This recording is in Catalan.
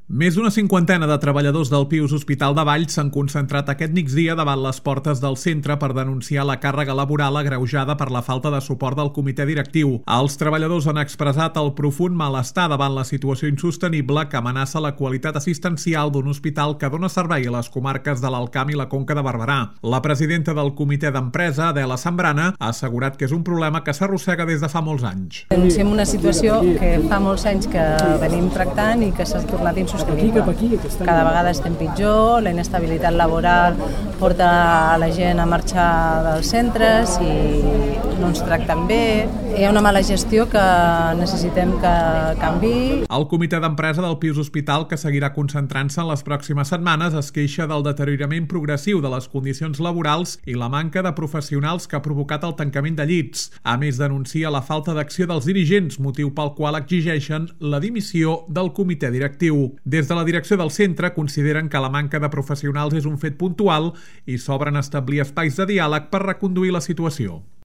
Més d'una cinquantena de treballadors del Pius Hospital de Valls s'han concentrat aquest migdia davant les portes del centre per denunciar la càrrega laboral agreujada per la falta de suport del comitè directiu. Els treballadors han expressat el profund malestar davant la situació insostenible que amenaça la qualitat assistencial d'un hospital que dona servei a les comarques de l'Alt Camp i la Conca de Barberà. La presidenta del comitè d'empresa, Adela Zambrana, ha assegurat que és un problema que s'arrossega des de fa molts anys. Denunciem una situació que fa molts anys que venim tractant i que s'ha tornat insostenible. Cada vegada estem pitjor, la inestabilitat laboral porta a la gent a marxar dels centres i no ens tracten bé. Hi ha una mala gestió que necessitem que canviï. El comitè d'empresa del Pius Hospital, que seguirà concentrant-se en les pròximes setmanes, es queixa del deteriorament progressiu de les condicions laborals i la manca de professionals que ha provocat el tancament de llits. A més, denuncia la falta d'acció dels dirigents, motiu pel qual exigeixen la dimissió del comitè directiu. Des de la direcció del centre consideren que la manca de professionals és un fet puntual i s'obren a establir espais de diàleg per reconduir la situació.